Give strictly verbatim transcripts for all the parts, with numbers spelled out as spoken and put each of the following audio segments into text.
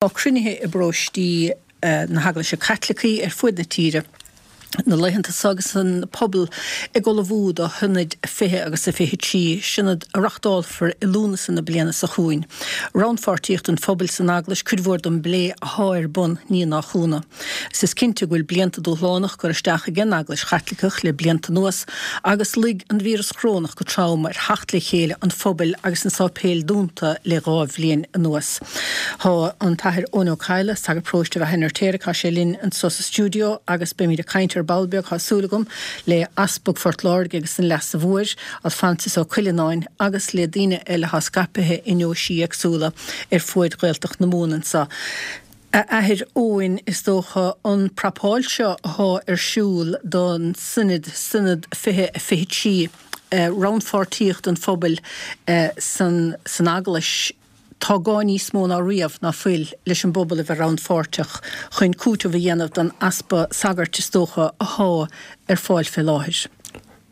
Tá cruinnithe i bparóistí na hEaglaise Caitlicí ar fuaid na tíre na laethanta seo agus an pobal ag ullmhú do Shionad fiche agus a fiche trí, sionad a reachtálfar i Lúnasa na bliana seo chugainn. Rannpháirtíocht an phobail san Eaglais cuid mhór den bplé athá ar bun, ní nach ionadh. Is is cinnte go bhfuil blianta dúshlánach curtha isteach ag an Eaglais Chaitliceach le blianta anuas agus luigh an víreas corónach go trom ar theacht le chéile an phobail agus na sáipéil dúnta le dhá bhliain anuas. Tá an tAthair Eoin Ó Cadhla, sagart paróiste Bheith an Fheirtéaraigh, tá sé linn anseo sa stiúideo agus beimid ag caint ar ball beag, tá súil agam, le Easpag Phort Láirge agus an Leasa Mhóir, Alphonsus Ó Cuileanáin, agus le daoine eile atá scaipthe i ndeoisí éagsúla ar fuaid Ghaeltacht na Mumhan anseo. A Athair Eoin, is dócha an prapáil seo athá ar siúl don Sionad, Sionad fiche a fiche trí, rannpháirtíocht an phobail san san Eaglais, tá gá níos mó ná riamh ná fuil leis an bpobal a bheith rannpháirteach chun cúiteamh a dhéanamh don easpa sagairt is dócha athá ar fáil fé láthair.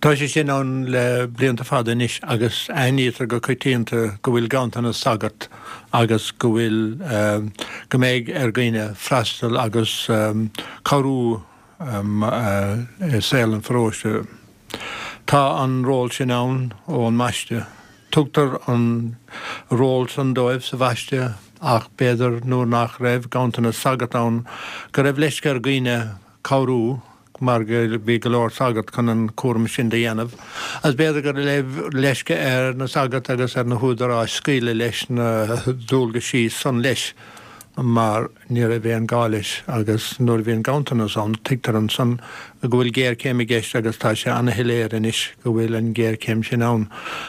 Tá sé sin ann le blianta fada anois agus aithnítear go coitianta go bhfuil ganntanas sagart agus go bhfuil, go mbeidh ar dhaoine freastal agus cabhrú i saol an pharóiste. Tá an ról sin ann ón mBaisteadh. Tugtar an ról san dóibh sa Bhaisteadh ach b'fhéidir nuair nach raibh ganntanas sagart ann go raibh leisce ar dhaoine cabhrú mar go bhí go leor sagart chun an cúram sin do dhéanamh, agus b'fhéidir go raibh leisce ar na sagairt agus ar na húdaráis scaoileadh leis na dualgaisí san leis mar ní raibh aon gá leis agus nuair a bhíonn ganntanas ann tuigtear ansan go bhfuil géarchéim i gceist agus tá sé ana-shoiléir anois go bhfuil an ghéarchéim sin ann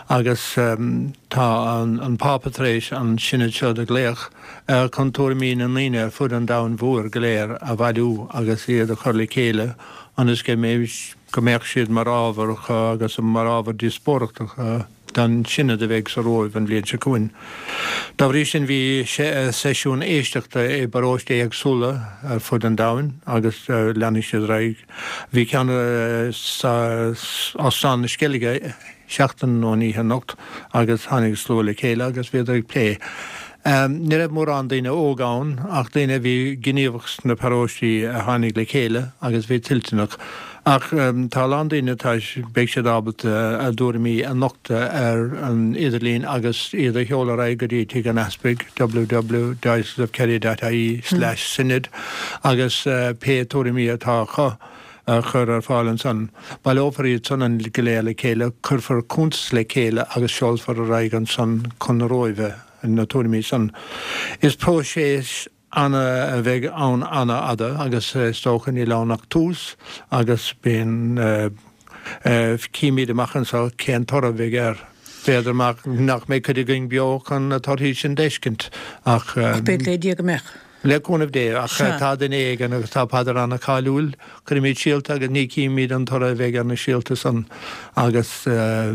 agus tá an Pápa tar éis an Sionad seo do ghlaoch chun tuairimí na ndaoine ar fud an domhain mhóir go léir a bhailiú agus iad a chur le chéile ionas go go mbeadh siad mar ábhar agus mar ábhar díospóireachta don Sionad a bheidh sa Róimh an bhliain seo chugainn. Dá bhrí sin bhí seisiúin éisteachta i bparóistí éagsúla ar fud an domhain agus leanfaidh siad ar aghaidh. Bhí ceann sa Óstán na Sceilge seachtain ón oíche anocht agus tháinig slua le chéile agus bhíodar ag plé. Ní raibh mórán daoine óga ann ach daoine a bhí gníomhach sna paróistí a tháinig le chéile agus bhí toilteanach. Ach tá a lán daoine atá, beidh siad ábalta a dtuairimí a nochtadh ar an idirlíon agus iad a sheoladh ar aghaidh go dtí Tigh an Easpaig, www dioceseofkerry dot ie slash synod agus pé tuairimí atá acu a chur ar fáil ansan. Baileofar iad san go léir le chéile, cuirfear cuntas le chéile agus seolfar ar aghaidh ansan chun na Róimhe na tuairimí san. Is próiseas ana a bheidh ann ana-fhada agus is dócha níl ann ach tús agus bíonn, címid amach anseo cén toradh a bheidh air. B'fhéidir nach mbeidh cuid againn beo chun na torthaí sin d'fheiscint ach. Ach b'fhéidir le Dia go mbeadh. Le cúnamh Dé, ach tá duine éigin, agus tá paidir ana-cháiliúil, cuirimid síolta agus ní chímid an toradh a bheidh ar na síolta san agus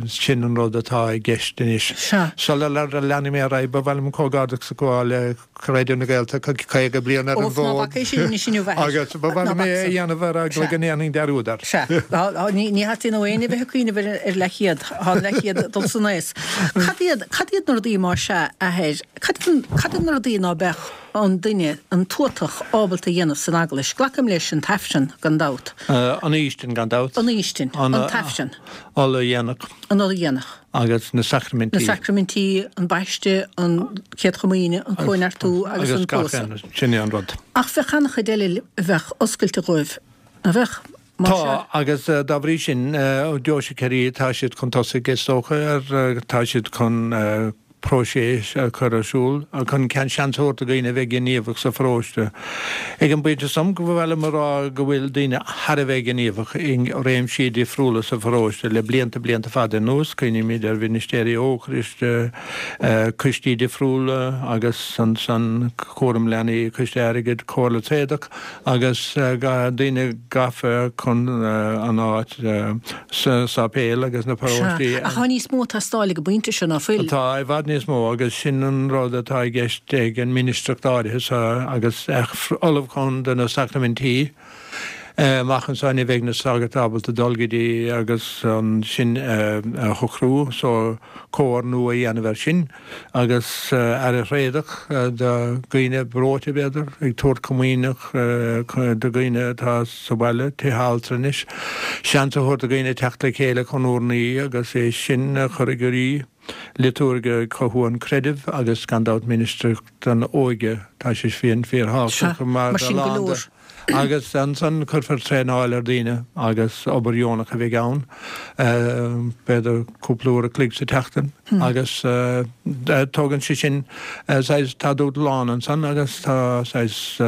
sin an rud atá i gceist anois. Sula leanfaidh mé ar aghaidh, ba mhaith liom comhghairdeachas a ghabháil le Raidió na Gaeltachta, caoga bliain ar an bhfód agus ba mhaith liom é a dhéanamh ar eagla go ndéanfainn dearúd air. Sea, ní theastaíonn ó éinne bheith ag cuimhneamh ar leathchéad, tá an leathchéad ag dul san aos. Cad iad, cad iad na rudaí más ea, a Athair, cad iad na rudaí ná beadh an duine, an tuatach, ábalta a dhéanamh san Eaglais. Glacaim leis an tAifreann, gan dabht. An Fhaoistin, gan dabht. An Fhaoistin. An tAifreann. Ola Dhéanach. An Ola Dhéanach. Agus na Sacraimintí. Na Sacraimintí, an Baisteadh, an Chéad Chomaoine, an Cóineartú agus an Pósadh. Agus gach aon, sin é an rud. Ach bheadh an-chuid eile a bheadh oscailte dhóibh, nach bheadh? Más ea. Tá, agus dá bhrí sin, Deoise Chiarraí, tá siad chun tosaigh, is dócha, ar, tá siad chun próiseas a chur ar siúl chun seans a thabhairt do dhaoine a bheith gníomhach sa pharóiste. Ag an bpointe san, ba mhaith liom a rá go bhfuil daoine thar a bheith gníomhach i réimsí difriúla sa pharóiste le blianta, blianta fada anuas. Cuimhnímid ar mhinistéirí Eocairiste, coistí difriúla agus ansan cúram leanaí, coiste airgid, comhairle tréadach. agus daoine gafa chun an áit sa sáipéal agus na paróistí. Sea, ach tá níos mó ag teastáil ag an bpointe seo, ná fuil? Tá, i bhfad níos mó, agus sin an rud atá i gceist ag an ministreacht áirithe seo agus ullmhúchán do na sacraimintí. Amach anso ní bheidh na sagairt ábalta dul go dtí agus ansin a shocrú so comhar nua a dhéanamh air sin agus aire thréadach do dhaoine breoite b'fhéidir, ag tabhairt comaoineach do dhaoine atá sa bhaile, tithe altranais, seans a thabhairt do dhaoine teacht le chéile chun urnaí agus é sin a chur i gcrích, liotúirge ag cothú an chreidimh agus gan dabht ministreacht don óige, tá sé sin fíorthábhachtach mar sin go leor. Agus ansan cuirfear traenáil ar dhaoine agus obair dheonach a bheidh ann, b'fhéidir cúpla uair a chloig sa tseachtain agus tógann sé sin saghas, tá dúshlán ansan agus tá saghas,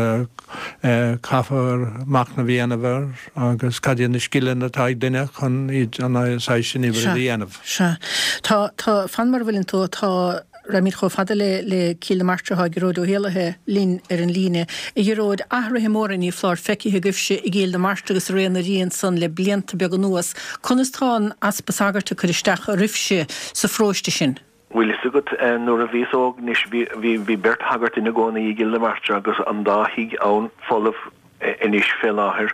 caithfear machnamh a dhéanamh air agus cad iad na scileanna atá ag duine chun iad an saghas sin oibre a dhéanamh. Sea. Tá, tá, fan mar a bhfuileann tú, tá. Raghaimid chomh fada le le Cill na Martra tá Gearóid Ó hÉallaithe linn ar an líne. A Ghearóid, athruithe móra ní foláir feicthe agaibhse i gCill na Martra agus i Rae na Rí ansan le blianta beaga anuas. Conas tá an easpa sagart ag cur isteach oraibhse sa pharóiste sin? Bhfuil fhios agat, nuair a bhíos óg anois bhí bhí beirt shagart ina gcónaí i gCill na Martra agus an dá thigh ann folamh anois fé láthair.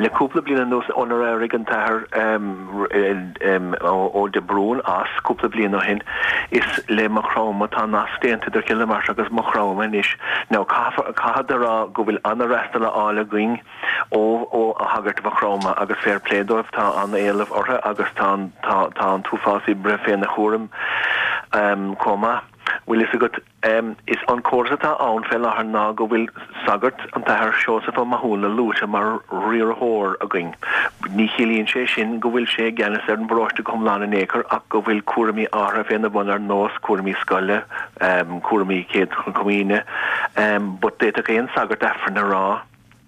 Le cúpla bliain anuas, ónar éirigh an tAthair Ó de Brún as cúpla bliain ó shin, is le Maigh Chromtha, tá nasc déanta idir Cill na Martra agus Maigh Chromtha anois. Now, caithfead a rá go bhfuil an-fhreastal á fháil againn ó ó shagairt Mhaigh Chromtha agus fair play dóibh, tá an-éileamh orthu agus tá tá tá an t-uafás oibre féna chúram chomh maith. Bhfuil fhios agat, Is an córas atá ann fé láthair ná go bhfuil sagart, an tAthair Seosamh Ó Mathúna, luaite mar riarthóir againn. Ní chiallaíonn sé sin go bhfuil sé i gceannas ar an bparóiste go hiomlán in aon chor ach go bhfuil cúraimí áirithe féna bhun ar nós cúraimí scoile, cúraimí Chéad Chomaoine. But d'fhéadfadh aon sagart Aifreann a rá.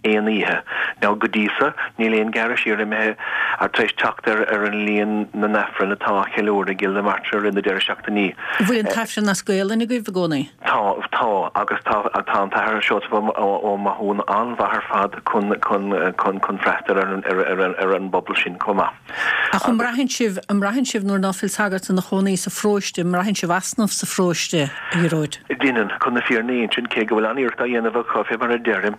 aon oíche. Now, go dtí so, níl aon ghearradh siar imithe tar éis teacht ar ar an líon na n-aifreann atá á cheiliúradh i gCill na Martra i rith na deireadh seachtainí. An bhfuil an t-aifreann as Gaolainn agaibh i gcónaí? Tá, tá, agus tá, tá an tAthair Seosamh Ó Mathúna an-mhaith ar fad chun, chun, chun, chun freastal ar an, ar, ar, ar an bpobal sin chomh maith. Ach an mbraitheann sibh, an mbraitheann sibh nuair ná fuil sagart ina chónaí sa pharóiste, an mbraitheann sibh easnamh sa pharóiste, a Ghearóid? Deineann, chun na fírinne a insint, cé go bhfuil an-iarracht á dhéanamh acu, fé mar a deirim,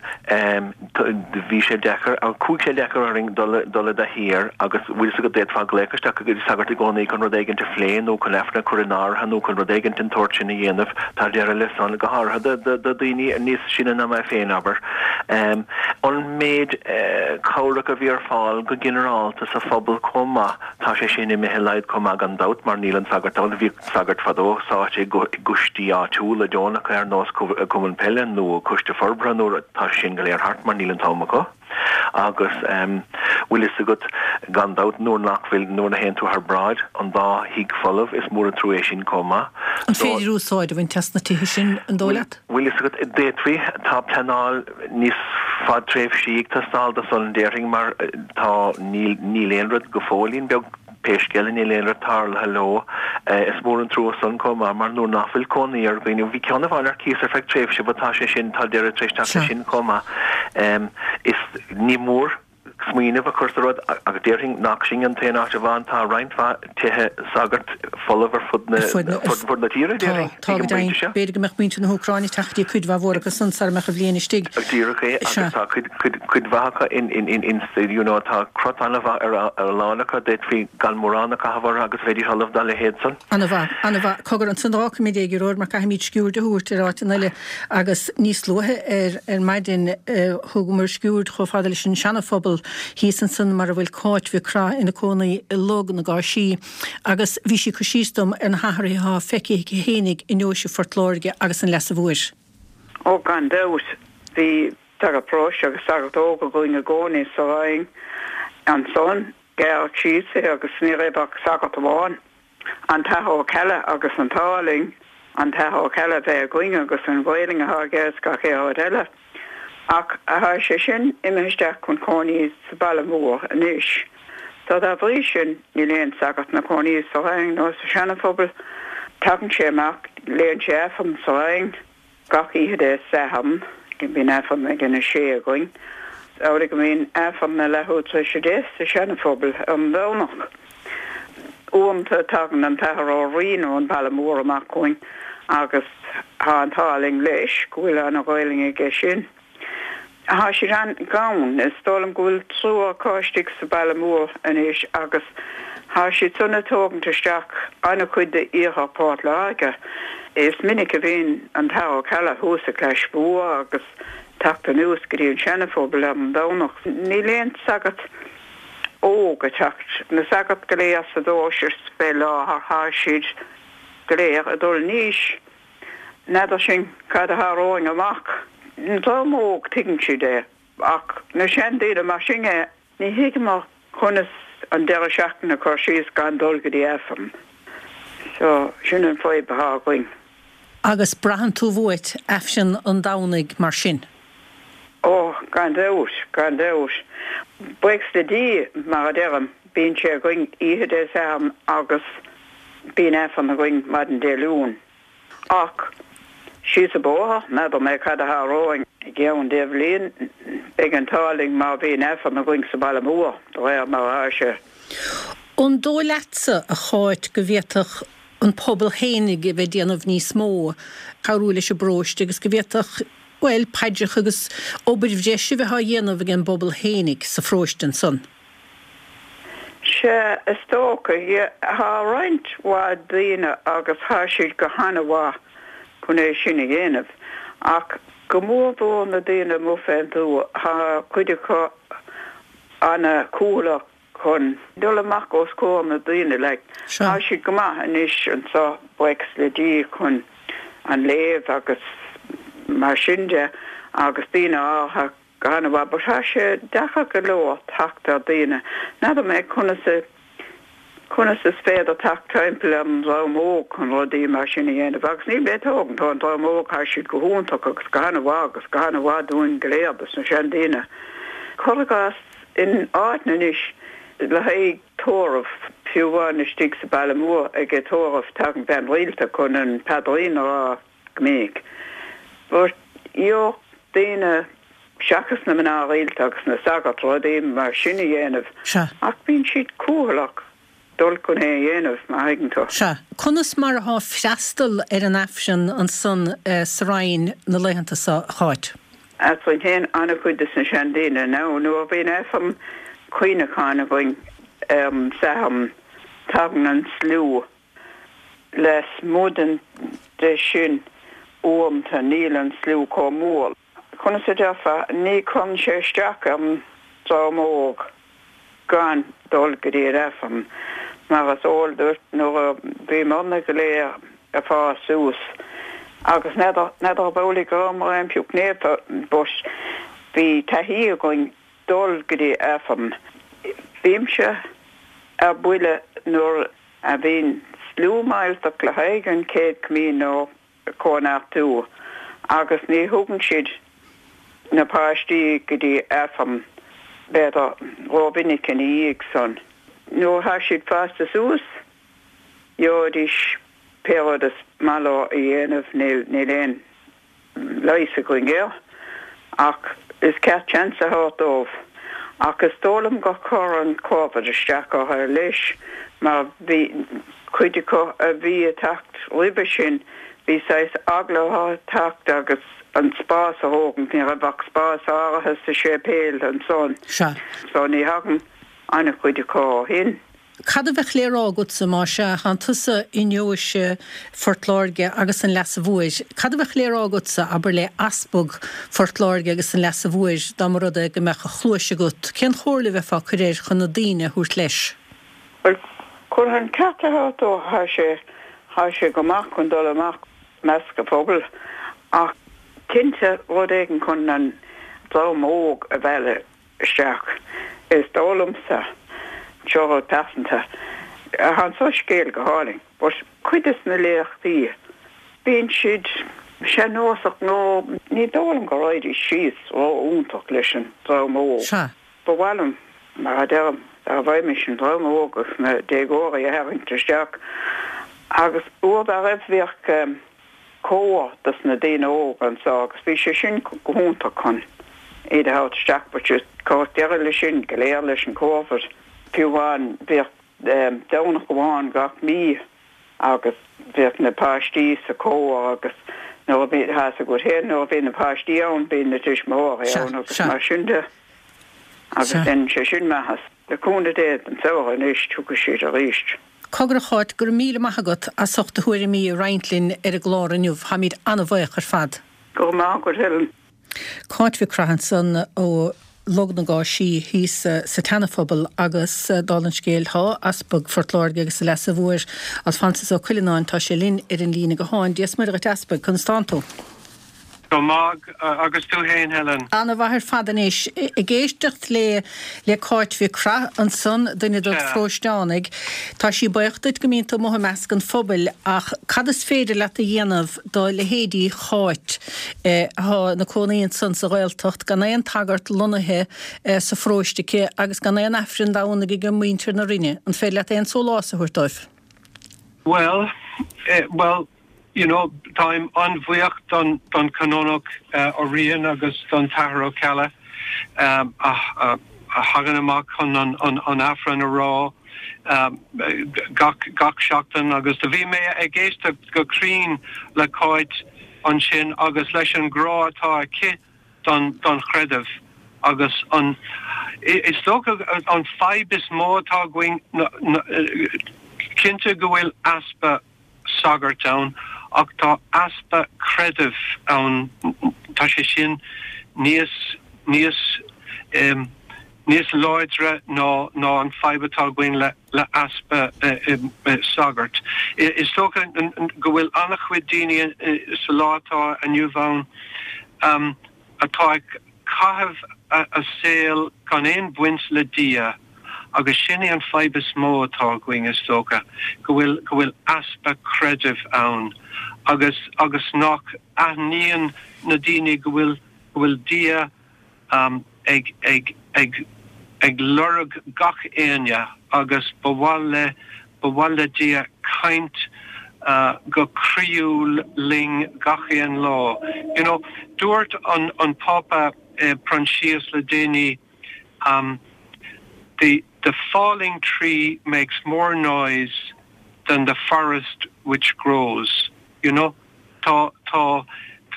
bhí sé deacair, chuaigh sé deacair orainn dul, dul i dtaithí air agus bhfuil fhios agat d'fhéadfá glaoch isteach go dtí sagart i gcónaí chun rud éigint a phlé nó chun Aifreann a chur in áirithe nó chun rud éigint den tsórt sin a dhéanamh. Tá deireadh le san, go háirithe do, do dhaoine níos sine ná mé féin, abair. An méid cabhrach a bhí ar fáil go ginearálta sa phobal chomh maith, tá sé sin imithe i laghad chomh maith gan dabht mar níl an sagart ann. Bhíodh sagairt fadó sáite i gcoistí áitiúla deonacha ar nós cumann peile nó coiste forbartha nó rud, tá sé sin go léir thart mar níl an t-am acu. Agus bhfuil fhios agat, gan dabht, nuair nach bhfuil, nuair a théann tú thar bráid, an dá thigh folamh, is mór an trua é sin chomh maith. An féidir úsáid a bhaint as na tithe sin, an dóigh leat? Bhfuil fhios agat, d'fhéadfaí, tá pleanáil níos fadtréimhsí ag teastáil do san, déarfainn, mar tá, níl, níl aon rud go fóillín beag, pé scéal é, níl aon rud tarlaithe leo. Is mór an trua san chomh maith, mar nuair nach bhfuil cónaí ar dhaoine, bhí ceann amháin ar cíos ar feadh tréimhse but tá sé sin, tá deireadh tar éis teacht leis sin chomh maith. Is, ní mór smaoineamh a chur sa rud agus déarfainn nach sin an t-aon áit amháin, tá roinnt mhaith tithe sagart folamh ar fud na fud na tíre, déarfainn, Tá, tá go deimhin. B'fhéidir go mbeadh muintir na hÚcráine ag teacht go dtí cuid mhaith mhór acu san sara mbeadh an bhliain istigh. Díreach é, agus tá cuid, cuid, cuid mhaith acu in, in, in, in, you know, tá crot an-mhaith ar a lán acu, d'fhéadfaí gan mórán a chaitheamh orthu agus bheidís ullamh dá leithéid san. An-mhaith, an-mhaith. Cogar, ansan d'fhágfaimid é, a Ghearóid, mar caithfimid sciuird a thabhairt ar áit eile agus níos luaithe ar ar maidin thugamar sciuird chomh fada leis an Seana-Phobal thíos ansan mar a bhfuil Cáit Mhic Craith ina cónaí i Log na gCáisí agus bhí sí ag cur síos dom ar na hathruithe atá feicthe aici fhéinig i ndeoise Phort Láirge agus an Leasa Mhóir. Ó gan dabht, bhí sagart paróiste agus sagart óg againn i gcónaí sa Rinn ansan. Gearradh síos é agus ní raibh ach sagart amháin, an tAthair Ó Ceallaigh agus an t-ádh linn an tAthair Ó Ceallaigh a bheith againn agus an Ghaelainn atá aige is gach aon rud eile. Ach tá sé sin imithe isteach chun cónaí sa baile mór anois. So dá bhrí sin níl aon sagart 'na cónaí sa Rinn nó sa Seana-Phobal. Tagann sé amach, léann sé Aifreann sa Rinn. Gach oíche Dé Sathairn, bíonn Aifreann ag a sé againn. Is amhlaidh go mbíonn Aifreann a leathuair tar éis a deich sa Seana-Phobal ar an Domhnach. Uaireanta tagann an tAthair Ó Riain ón Bhaile Mór amach chugainn agus tá an t-ádh linn leis go bhfuil ana-Ghaelainn aige sin. Tá siad an-ghann. Is dóigh liom go bhfuil triúr acu istigh sa Bhaile Mór anois agus tá siad san ag tógaint isteach an-chuid d'iarthar Phort Láirge. Is minic a bhíonn an tAthair Ó Ceallaigh thuas i gClais Mhór agus teacht anuas go dtí an Seana-Phobal ar an Domhnach. Níl aon sagart óg ag teacht. Na sagairt go léir sa deoise fé láthair tá siad go léir ag dul in aois. N'fheadar sinn cad a tharlóidh amach. An dream óg tuigeann siad é ach na seandaoine mar sin é ní thuigeamar conas an deireadh seachtaine a chur síos gan dul go dtí Aifreann. So sin an fadhb atá againn. Agus braitheann tú uait Aifreann an Domhnaigh mar sin? Ó, gan dabht, gan dabht. Buíochas le Dia, mar a deirim, bíonn sé againn oíche Dé Sathairn agus bíonn Aifreann againn maidin Dé Luain. Ach síos an bóthar, n'fheadar mé cad a tharlóidh i gceann deich bhliain, beidh an t-ádh linn má bhíonn Aifreann againn sa Bhaile Mór, de réir mar atá sé. An dóigh leatsa, a Cháit, go bhféadfadh an pobal fhéinig a bheith ag déanamh níos mó, cabhrú leis an bparóiste agus go bhféadfadh, bhuel, paidreacha agus obair bhreise a bheith á dhéanamh ag an bpobal fhéinig sa pharóiste ansan? Sea, is dócha. Tá roinnt mhaith daoine agus tá siad go han-mhaith chun é sin a dhéanamh. Ach go mór mhór na daoine amuigh fén tuath, tá cuid acu ana-chúthaileach chun dul amach os comhair na daoine like. Tá siad go maith anois anseo, buíochas le Dia, chun an léamh agus mar sin de agus daoine áirithe go han-mhaith but tá sé deacair go leor teacht ar daoine. N'fheadar mé conas a conas is féidir teacht timpeall ar an dream óg chun rudaí mar sin a dhéanamh agus níl mé ag tógaint ón dream óg, tá siad go hiontach agus go han-mhaith agus go han-mhaith dúinn go léir dos na seandaoine. Cuir i gcás in áiteanna anois le haghaidh tórramh, fiú amháin istigh sa Baile Mór ag tórramh tagann bean rialta chun an paidrín a rá go minic. But gheobhadh daoine seachas na mná rialta agus na sagairt rudaí mar sin a dhéanamh Sea. ach bíonn siad cúthaileach dul chun é a dhéanamh, má thuigeann tú. Sea. Conas mar atá freastal ar an Aifreann ansan sa Rinn na laethanta seo, a Cháit? Eadrainn féin an-chuid de na seandaoine now nuair a bhíonn Aifreann cuimhneacháin againn ar an Satharn tagann an slua lasmuigh den de sin uaireanta níl an slua chomh mór. Conas a déarfá, ní chuireann sé isteach ar an dream óg gan dul go dtí an Aifreann mar is eol duit nuair a bhíomarna go léir ag fás suas agus n'fheadar n'fheadar ab amhlaidh go rabhamar aon phioc naofa but bhí taithí againn dul go dtí Aifreann. Bímse ar buile nuair a bhíonn slua millteach le haghaidh an Chéad Chomaoin nó Cóineartú agus ní thugann siad na páistí go dtí Aifreann b'fhéidir rómhinic ina dhiaidh san. Nuair atá siad fásta suas gheobhaidís pé rud is maith leo a dhéanamh, níl níl aon leigheas againn air ach is ceart seans a thabhairt dóibh. Ach is dóigh liom gur chuir an Covid isteach orthu leis mar bhí cuid acu a bhí ag teacht roimhe sin, bhí saghas eagla orthu teacht agus an spás a thógaint, ní raibh ach spás áirithe sa séipéal ansan. Sea. So ní thagann an-chuid acu ó shin. Cad a bheadh le rá agatsa, más ea, tánn tusa i ndeoise Phort Láirge agus an Leasa Mhóir, cad a bheadh le rá agatsa, abair, le Easpag Phort Láirge agus an Leasa Mhóir dá mba rud é go mbeadh a chluais agat, cén chomhairle a bheifeá ag cur air chun na daoine a thabhairt leis? Bhuel, chun an ceart a thabhairt dó, thá sé, thá sé go maith chun dul amach i measc an phobail ach cinnte rud éigin chun an dream óg a mhealladh isteach. Is dóigh liomsa, seo rud pearsanta, tá an Soiscéal go hálainn, but cuid des na léachtaí, bíonn siad sean-nósach nó ní dóigh liom go raghaidís síos ró-iontach leis an dream óg. Sea. Ba mhaith liom, mar a deirim, dá bhfaighmis an dream óg agus na déagóirí a tharraingt isteach agus uair dá raibh bhíodh cór dos na daoine óga anseo agus bhí sé sin go hiontach chun iad a thabhairt isteach but just cuireadh deireadh leis sin go léir leis an Covid. Fiú amháin bhíodh Domhnach amháin gach mí agus bhíodh na páistí sa chór agus Nuair a bhí tá a fhios agat féin nuair a bhí na páistí ann bíonn na tuismitheoirí ann agus mar sin de. Agus dhein sé sin maitheas. Le cúnamh Dé don samhradh anois tiocfaidh siad arís. Cogar a Cháit, go raibh míle maith agat as ucht do thuairimí a roinnt linn ar an gclár inniu. Táimid an-bhuíoch ar fad. Go raibh maith agat Helen. Cáit Mhic Craith ansan ó Log na gCáisí thíos sa tSeana-Phobal agus dála an scéil tá Easpag Phort Láirge agus a Leas-Mháthair Alphonsus Ó Cuileanáin, tá sé linn ar an líne gutháin. Dia 's Muire dhuit Easpag, conas tánn tú? Go maith, agus tú fhéin Helen? Ana-mhaith ar fad anois. Ag éisteacht le le Cáit Mhic Craith ansan, duine dod pharóisteánaigh, tá sí buíoch duit go mbíonn tú amuigh i measc an phobail ach cad is féidir leat a dhéanamh do leithéidí Cháit atá ina cónaí ansan sa Ghaeltacht gan aon tsagart lonnaithe sa pharóiste aici agus gan aon Aifreann Domhnaigh ag muintir na Rinne? An féidir leat aon sólás a thabhairt dóibh? Bhuel, bhuel, you know, táim an-bhuíoch don don Canónach Ó Riain agus don tAthair Ó Ceallaigh um, a, a, a thagann amach chun an, an, an Aifreann a rá um, gach, gach seachtain agus do bhí mé ag éisteacht go cruinn le Cáit ansin agus leis an grá atá aici don, don chreideamh agus an is dócha an fadhb is mó atá againn cinnte go bhfuil easpa sagart ann ach tá easpa creidimh ann tá sé sin níos níos um, níos láidre ná ná an fadhb atá againn le le easpa uh, um, sagart. Is dócha go bhfuil an-chuid daoine sa lá atá inniu ann um, atá ag caitheamh a, a saol gan aon bhaint le Dia agus sin é an fadhb is mó atá againn is dócha go bhfuil go bhfuil easpa creidimh ann agus agus nach aithníonn na daoine go bhfuil go bhfuil Dia um, ag ag ag ag lorg gach éinne agus ba mhaith le ba mhaith le Dia caint uh, go croíúil linn gach aon lá. You know, dúirt an an Pápa uh, Proinsias le déanaí um, the the falling tree makes more noise than the forest which grows you know tá tá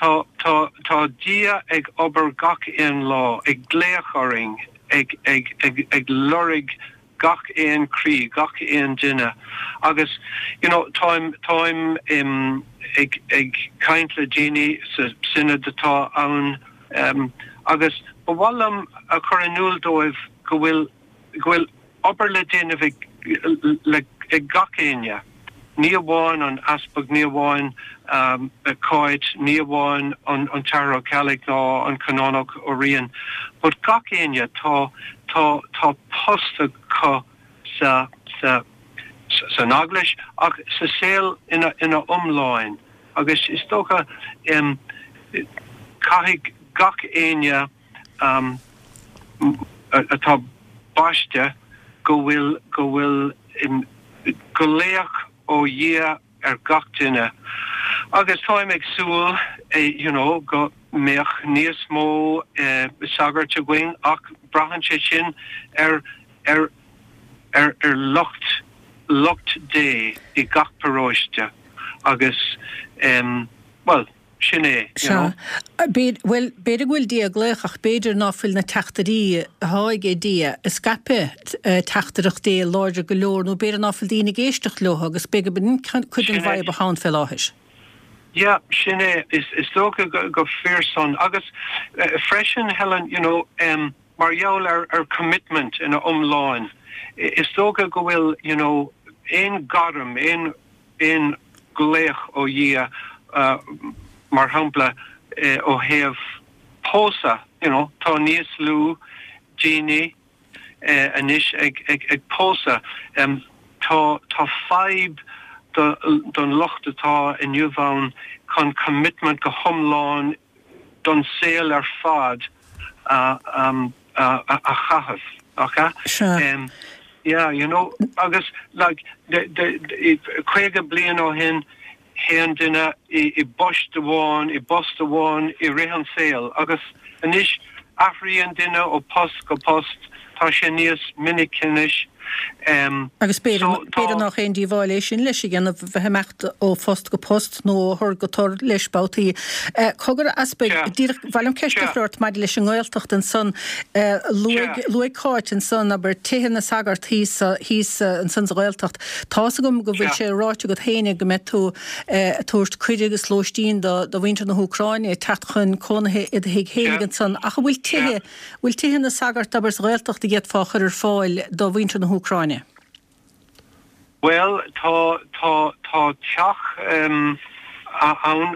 tá tá tá Dia ag obair gach aon lá ag glaoch orainn ag ag ag ag lorg gach aon chroí gach aon duine agus you know táim táim um, ag ag caint le daoine sa synod atá ann um, agus ba mhaith liom a chur in iúl dóibh go bhfuil go bhfuil obair le déanamh ag le ag gach éinne. Ní amháin an easpag ní amháin um, Cáit, ní amháin an an tAthair Ó Ceallaigh ná an Canónach Ó Riain, but gach éinne tá tá tá post acu sa sa san eaglais ach sa saol ina ina iomláin agus is dócha um, caithfidh gach éinne um, atá baiste go bhfuil go bhfuil glaoch ó Dhia ar gach duine. Agus táim ag súil eh, you know, go mbeadh níos mó eh, sagart againn ach braitheann sé sin ar ar ar ar lucht lucht Dé i gach paróiste agus um, well sin é you know. Bhuel b'fhéidir go bhfuil Dia ag glaoch ach b'fhéidir ná fuil na teachtairí atá ag Dia ag scaipeadh teachtaireacht Dé láidir go leor nó b'fhéidir ná fuil daoine ag éisteacht leo agus b'fhéidir b'in cuid den bhfadhb atá ann fé láthair. Ja, sin é is is dócha go, go fíor san agus uh, freisin Helen you know um, mar gheall ar ar commitment ina iomláin is dócha go bhfuil you know aon ghairm aon aon ghlaoch ó Dhia uh, mar shampla eh, ó thaobh pósadh you know tá níos lú daoine eh, anois ag ag ag pósadh um, tá tá fadhb don lucht atá inniu ann chun commitment go hiomlán don saol ar fad uh, um, uh, a, a chaitheamh okay um, yeah you know agus like de, de, de, caoga bliain ó shin théadh duine i, i bpost amháin i bpost amháin i rith an saol agus anois athraíonn duine ó post go post tá sé níos minice anois Agus b'fhéidir nach aon díobháil é sin leis a dhéanamh, bheith ag imeacht ó phost go post nó ó thor go tor leis babhtaí. Cogar, a Easpaig, díreach, ba mhaith liom ceist a chur ort maidir leis an nGaeltacht ansan. Luaigh, luaigh Cáit ansan, abair, tithe na sagart thíos, thíos ansan sa Ghaeltacht. Tá's agam go bhfuil sé ráite agat féinig go mbeidh tú ag tabhairt cuireadh agus lóistín do, do mhuintir na hÚcráine teacht chun cónaithe i do thigh féinig ansan. Ach an bhfuil tithe, bhfuil tithe na sagart, abair, sa Ghaeltacht a d'fhéadfá a chur ar fáil do mhuintir na hÚcráine? Bhuel, tá, tá, tá teach ann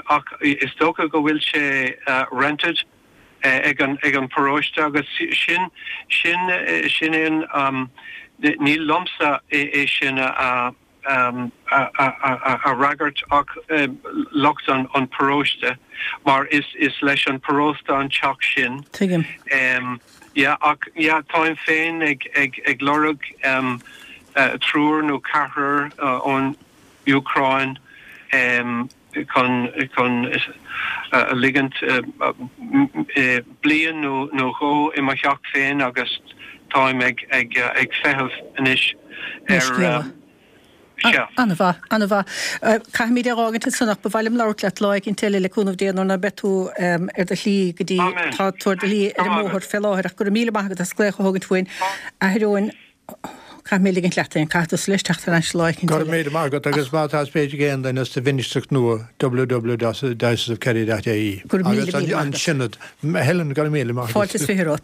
ach is dócha go bhfuil sé rented ag an, ag an paróiste agus sin, sin, sin é an, ní liomsa é sin a, a fhreagairt ach lucht an pharóiste mar is leis an paróiste an teach sin. Tuigim. Yeah ach yeah táim féin ag lorg triúr nó ceathrar ón Úcráin chun chun a ligint bliain nó dhó i mo theach féin agus táim ag ag feitheamh anois ar Sea. An-mhaith, an-mhaith. Caithfimid é a dh'fhágaint ansan ach ba mhaith liom labhairt leat lá éicint eile le cúnamh Dé nuair ná beidh tú ar do shlí go dtí, tá tú ar do shlí ar an mbóthar fé láthair ach go raibh míle maith agat as glaoch a thógaint uainn. A Athair Eoin, caithfidh mé ligint leat féin, caithfidh tusa leis teacht thar n-ais lá éicint Go raibh eile. míle maith agat agus má tá spéis ag aon duine sa mhinistreacht nua www.dioceseofkerry.ie Go raibh míle agus míle maith an agat. Sionad. Helen, go raibh míle maith Fáilte agat. is fiche romhat.